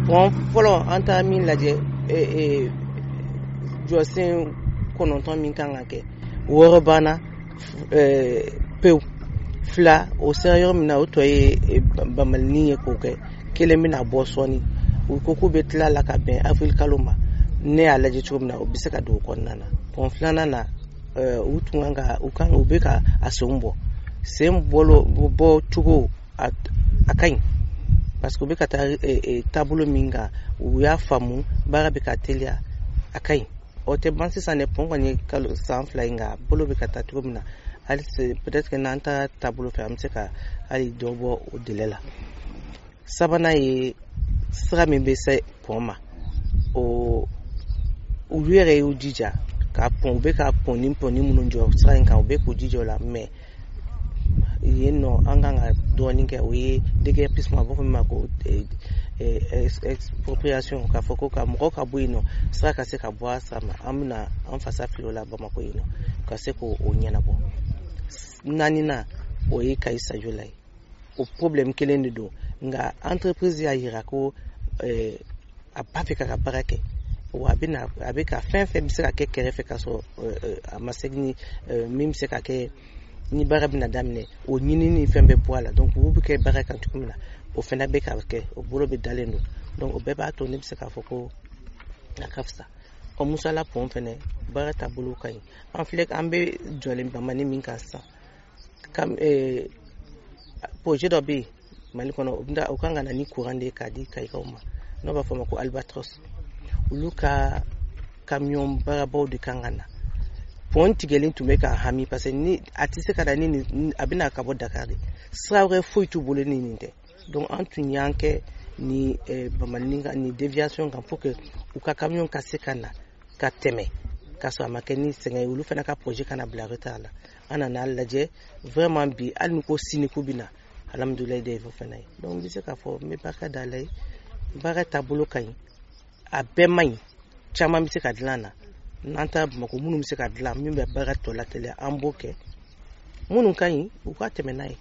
Pont fɔlɔ, an taara min lajɛ, jɔsen 9 min kan ka kɛ, 6 banna pewu. 2 o sera yɔrɔ min na, o tɔ ye bamalinin ye k'o kɛ. Kelen bɛna bɔ sɔɔni. U ko k'u bɛ tila la ka bɛn avril kalo ma. Ne y'a lajɛ cogo min na, o bɛ se ka don o kɔnɔna na. Pont filanan na, u tun kan ka u kan u bɛ ka a senw bɔ, sen bɔlo bɔ cogo a ka ɲi, parce que u bɛ ka taa taabolo min kan, u y'a faamu, baara bɛ ka teliya, a ka ɲi. O tɛ ban sisan dɛ. Pont kɔni ye kalo san 2 ye, nka bolo bɛ ka taa cogo min na, hali peut-être que n'an taara taabolo fɛ, an bɛ se ka hali dɔ bɔ o délai la. Sabanan ye sira min bɛ se pont ma, o olu yɛrɛ y'u jija ka pont, u bɛ ka pont ni pont ni minnu jɔ sira in kan, u bɛ k'u jija o la. Mais yen nɔ, an kan ka dɔɔnin kɛ, o ye déguerpissement, a b'a fɔ min ma ko expropriation, k'a fɔ ko ka mɔgɔw ka bɔ yen nɔ, sira ka se ka bɔ a sira ma. An bɛna an fasa fili o la Bamakɔ yen nɔ, ka se k'o ɲɛnabɔ. Naaninan, o ye Kayi Sajola ye. O problème kelen de don, nka entreprise y'a yira ko a b'a fɛ k'a ka baara kɛ, wa a bɛna a bɛ ka fɛn fɛn bɛ se ka kɛ kɛrɛfɛ ka sɔrɔ a ma segin ni min bɛ se ka kɛ ni baara bɛna daminɛ, o ɲinini ni fɛn bɛ bɔ a la. Donc u bɛ kɛ baara kan cogo min na, o fana bɛ ka kɛ, o bolo bɛ dalen don. Donc o bɛɛ b'a to ne bɛ se k'a fɔ ko a ka fisa. Ɔ Musala pont fɛnɛ, baara taabolo ka ɲi. An filɛ, an bɛ jɔlen Bamani min kan sisan, projet dɔ bɛ yen Mali kɔnɔ, o kan ka na ni courant de ye k'a di Kayikaw ma, n'o b'a fɔ a ma ko Albatros. Olu ka camion baarabaw de kan ka na. Pont tigɛlen tun bɛ ka hami, parce que ni a tɛ se ka na ni a bɛna ka bɔ Dakar de, sira wɛrɛ foyi t'u bolo ni nin tɛ. Donc an tun y'an kɛ ni Bamani kan ni déviation kan, pour que u ka camion ka se ka na ka tɛmɛ ka sɔrɔ a ma kɛ ni sɛgɛn ye, olu fana ka projet kana bila retard la. An nana lajɛ vraiment bi, hali ni ko sini k'u bɛ na, alhamdulilayi de o fana ye. Donc n bɛ se k'a fɔ n bɛ barika da Ala ye, baara taabolo ka ɲi, a bɛɛ man ɲi, caman bɛ se ka dilan na. N'an taara Bamakɔ, minnu bɛ se ka dilan, min bɛ baara tɔ lateliya, an b'o kɛ. Minnu ka ɲi, u ka tɛmɛ n'a ye.